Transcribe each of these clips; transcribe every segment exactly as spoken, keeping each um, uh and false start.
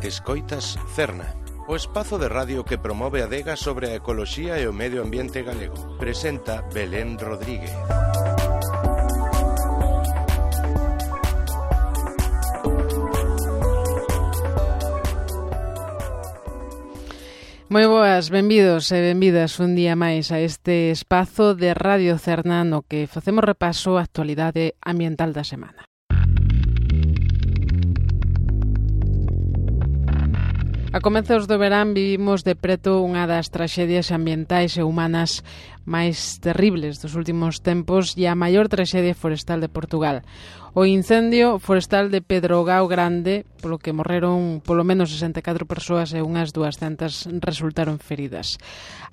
Escoitas Cerna, o espazo de radio que promove a adega sobre a ecoloxía e o medio ambiente galego. Presenta Belén Rodríguez. Moi boas, benvidos e benvidas un día máis a este espazo de Radio Cerna no que facemos repaso á actualidade ambiental da semana. A comezos do verán vivimos de preto unha das traxedias ambientais e humanas máis terribles dos últimos tempos e a maior traxedia forestal de Portugal. O incendio forestal de Pedrogao Grande, polo que morreron polo menos sesenta e catro persoas e unhas duascentas resultaron feridas.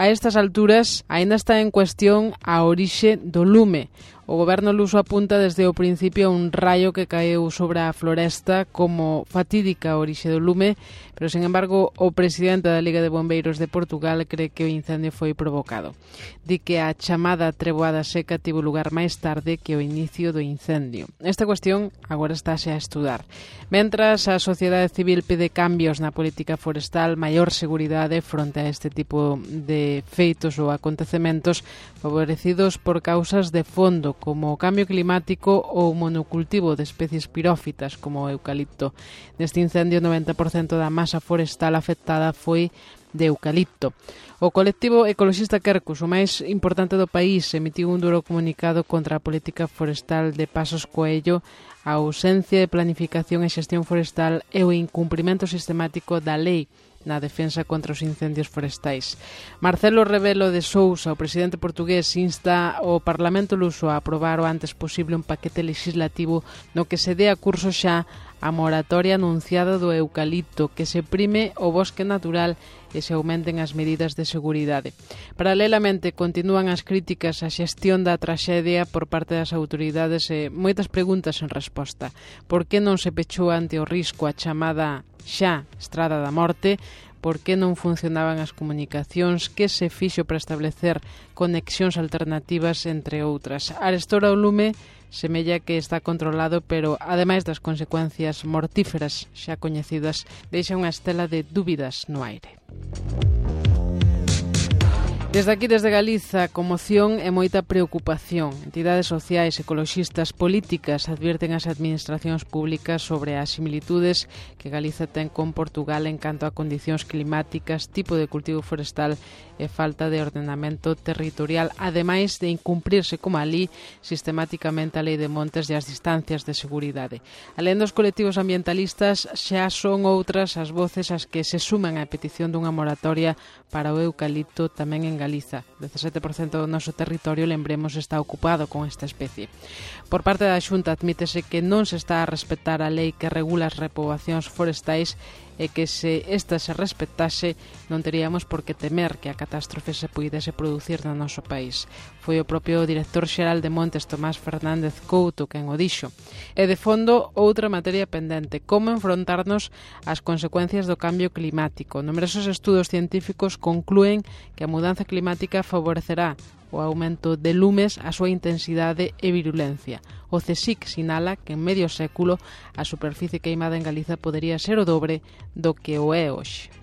A estas alturas, aínda está en cuestión a orixe do lume. O goberno luso apunta desde o principio a un raio que caeu sobre a floresta como fatídica orixe do lume, pero, sen embargo, o presidente da Liga de Bombeiros de Portugal cree que o incendio foi provocado. Di que a chamada treboada seca tivo lugar máis tarde que o inicio do incendio. Esta cuestión agora estáse a estudar. Mentras, a sociedade civil pide cambios na política forestal, maior seguridade fronte a este tipo de feitos ou acontecementos favorecidos por causas de fondo, como o cambio climático ou o monocultivo de especies pirófitas como o eucalipto. Neste incendio, o noventa por cento da masa forestal afectada foi de eucalipto. O colectivo ecoloxista Quercus, o máis importante do país, emitiu un duro comunicado contra a política forestal de Pasos Coello, a ausencia de planificación e xestión forestal e o incumprimento sistemático da lei na defensa contra os incendios forestais. Marcelo Rebelo de Sousa, o presidente portugués, insta o Parlamento luso a aprobar o antes posible un paquete legislativo no que se dé a curso xa a moratoria anunciada do eucalipto, que se prime o bosque natural e se aumenten as medidas de seguridade. Paralelamente, continúan as críticas á xestión da traxedia por parte das autoridades e moitas preguntas en resposta. Por que non se pechou ante o risco a chamada xa Estrada da Morte? Por que non funcionaban as comunicacións? Que se fixo para establecer conexións alternativas, entre outras? Arestora o lume semella que está controlado, pero, ademais das consecuencias mortíferas xa coñecidas, deixa unha estela de dúbidas no aire. Desde aquí, desde Galiza, conmoción e moita preocupación. Entidades sociais, ecoloxistas, políticas advirten as administracións públicas sobre as similitudes que Galiza ten con Portugal en canto a condicións climáticas, tipo de cultivo forestal e falta de ordenamento territorial, ademais de incumprirse como alí sistemáticamente a lei de montes e as distancias de seguridade. Alén dos colectivos ambientalistas, xa son outras as voces as que se suman á petición dunha moratoria para o eucalipto tamén en Galiza. dezasete por cento do noso territorio, lembremos, está ocupado con esta especie. Por parte da Xunta admítese que non se está a respetar a lei que regula as repoboacións forestais e que se esta se respetase non teríamos por que temer que a catástrofe se puidese producir no noso país. Foi o propio director xeral de Montes, Tomás Fernández Couto, quen o dixo. E de fondo, outra materia pendente, como enfrontarnos ás consecuencias do cambio climático. Numerosos estudos científicos conclúen que a mudanza climática favorecerá o aumento de lumes, a súa intensidade e virulencia. O CSIC sinala que en medio século a superficie queimada en Galiza podería ser o dobre do que o é hoxe.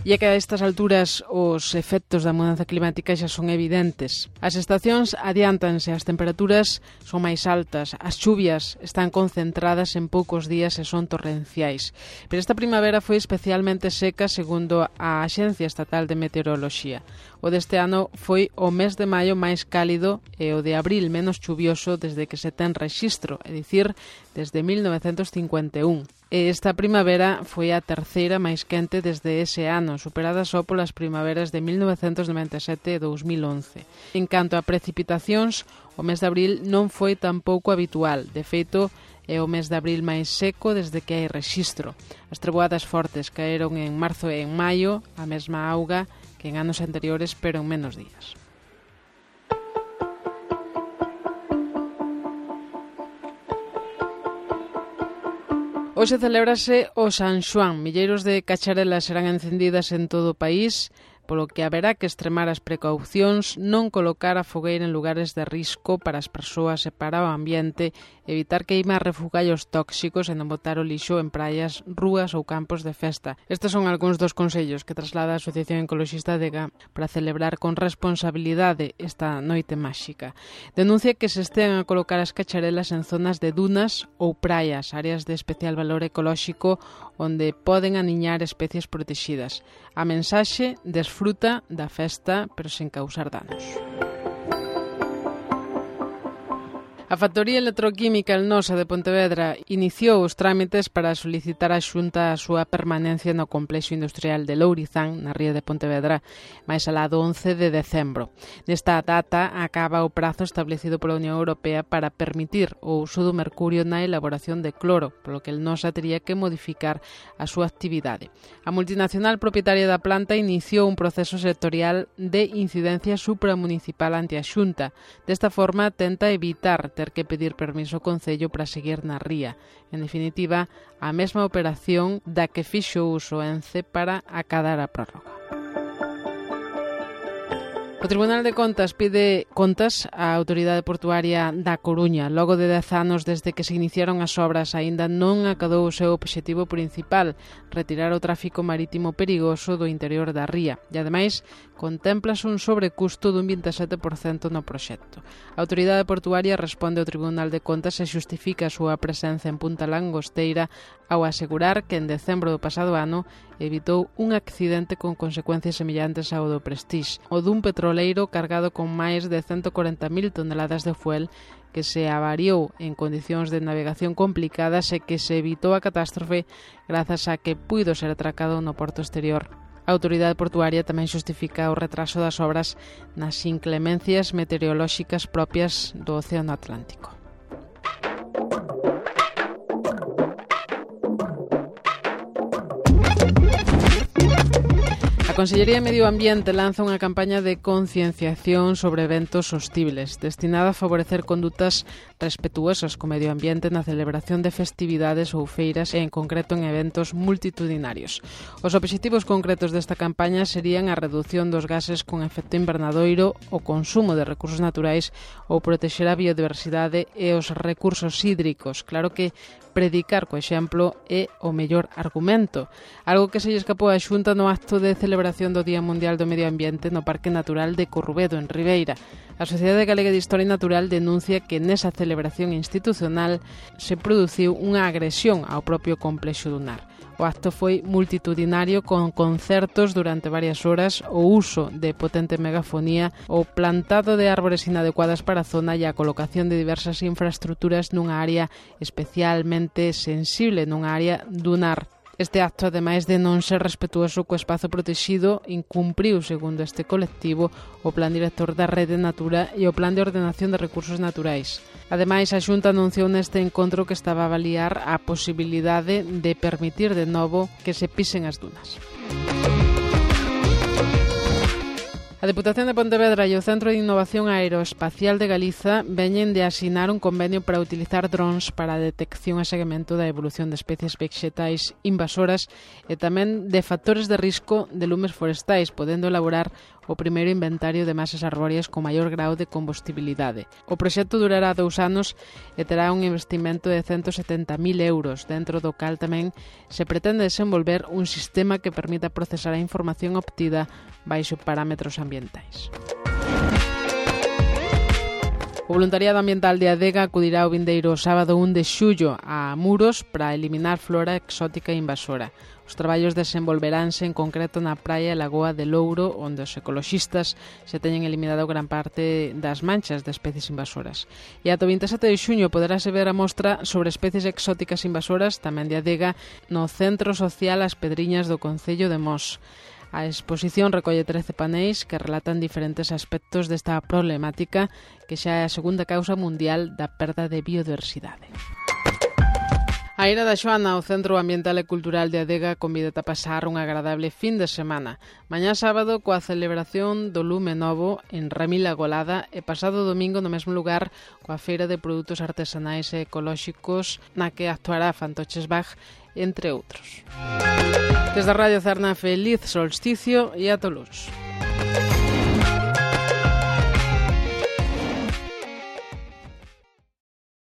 E é que a estas alturas os efectos da mudanza climática xa son evidentes. As estacións adiántanse, as temperaturas son máis altas, as chuvias están concentradas en poucos días e son torrenciais. Pero esta primavera foi especialmente seca, segundo a Axencia Estatal de Meteoroloxía. O deste ano foi o mes de maio máis cálido e o de abril menos chuvioso desde que se ten rexistro, é dicir, desde mil novecentos cincuenta e un. E esta primavera foi a terceira máis quente desde ese ano, superada só polas primaveras de mil novecentos noventa e sete e dous mil once. En canto a precipitacións, o mes de abril non foi tampouco habitual. De feito, é o mes de abril máis seco desde que hai rexistro. As treboadas fortes caeron en marzo e en maio, a mesma auga que en anos anteriores, pero en menos días. Hoxe celébrase o San Xoán. Milleiros de cacharelas serán encendidas en todo o país, polo que haberá que extremar as precaucións, non colocar a fogueira en lugares de risco para as persoas e para o ambiente evitar queimar refugallos tóxicos e non botar o lixo en praias, rúas ou campos de festa. Estes son algúns dos consellos que traslada a Asociación Ecoloxista Adega para celebrar con responsabilidade esta noite máxica. Denuncia que se estean a colocar as cacharelas en zonas de dunas ou praias, áreas de especial valor ecolóxico onde poden aniñar especies protegidas. A mensaxe: desfruta da festa, pero sen causar danos. A Factoría Electroquímica El Nosa de Pontevedra iniciou os trámites para solicitar á Xunta a súa permanencia no complexo industrial de Lourizán, na ría de Pontevedra, máis alá do once de decembro. Nesta data acaba o prazo establecido pola Unión Europea para permitir o uso do mercurio na elaboración de cloro, polo que El Nosa tería que modificar a súa actividade. A multinacional propietaria da planta iniciou un proceso sectorial de incidencia supramunicipal ante a Xunta. Desta forma, tenta evitar ter que pedir permiso ao Concello para seguir na ría. En definitiva, a mesma operación da que fixo uso Ence para acadar a prórroga. O Tribunal de Contas pide contas á Autoridade Portuaria da Coruña. Logo de dez anos desde que se iniciaron as obras, aínda non acadou o seu obxectivo principal, retirar o tráfico marítimo perigoso do interior da ría. E, ademais, contémplase un sobrecusto dun vinte e sete por cento no proxecto. A Autoridade Portuaria responde ao Tribunal de Contas e xustifica a súa presenza en Punta Langosteira ao asegurar que en decembro do pasado ano evitou un accidente con consecuencias semellantes ao do Prestige, o dun petroleiro cargado con máis de ciento corenta mil toneladas de fuel que se avariou en condicións de navegación complicadas e que se evitou a catástrofe grazas a que puido ser atracado no porto exterior. A Autoridade Portuaria tamén xustifica o retraso das obras nas inclemencias meteorolóxicas propias do Océano Atlántico. A Consellería de Medio Ambiente lanza unha campaña de concienciación sobre eventos sostibles, destinada a favorecer condutas respetuosas co medio ambiente na celebración de festividades ou feiras e, en concreto, en eventos multitudinarios. Os obxectivos concretos desta campaña serían a reducción dos gases con efecto invernadoiro, o consumo de recursos naturais ou protexer a biodiversidade e os recursos hídricos. Claro que predicar co exemplo é o mellor argumento, algo que se lle escapou á Xunta no acto de celebración do Día Mundial do Medio Ambiente no Parque Natural de Corrubedo, en Ribeira. A Sociedade Galega de Historia Natural denuncia que nesa celebración institucional se produciu unha agresión ao propio complexo dunar. O acto foi multitudinario con concertos durante varias horas, o uso de potente megafonía, o plantado de árbores inadecuadas para a zona e a colocación de diversas infraestructuras nunha área especialmente sensible, nunha área dunar. Este acto, ademais de non ser respetuoso co espazo protegido, incumpriu, segundo este colectivo, o Plan Director da Rede Natura e o Plan de Ordenación de Recursos Naturais. Ademais, a Xunta anunciou neste encontro que estaba a avaliar a posibilidade de permitir de novo que se pisen as dunas. A Deputación de Pontevedra e o Centro de Innovación Aeroespacial de Galiza veñen de asinar un convenio para utilizar drons para a detección e seguimento da evolución de especies vexetais invasoras e tamén de factores de risco de lumes forestais, podendo elaborar o primeiro inventario de masas arbóreas con maior grau de combustibilidade. O proxecto durará dous anos e terá un investimento de ciento setenta mil euros, dentro do cal tamén se pretende desenvolver un sistema que permita procesar a información obtida baixo parámetros ambientais. O voluntariado ambiental de Adega acudirá o vindeiro sábado un de xullo a Muros para eliminar flora exótica e invasora. Os traballos desenvolveránse en concreto na praia e lagoa de Louro, onde os ecoloxistas se teñen eliminado gran parte das manchas de especies invasoras. E ata o vinte e sete de xuño poderase ver a mostra sobre especies exóticas invasoras, tamén de Adega, no Centro Social As Pedriñas do Concello de Mos. A exposición recolle trece paneis que relatan diferentes aspectos desta problemática que xa é a segunda causa mundial da perda de biodiversidade. A Ira da Xoana, o Centro Ambiental e Cultural de Adega, convídate a pasar un agradable fin de semana. Mañá sábado coa celebración do Lume Novo en Ramila Golada e pasado domingo no mesmo lugar coa Feira de Produtos Artesanais e Ecolóxicos na que actuará Fantoches Bach, entre outros. Desde a Radio Cerna, feliz solsticio e a tolos.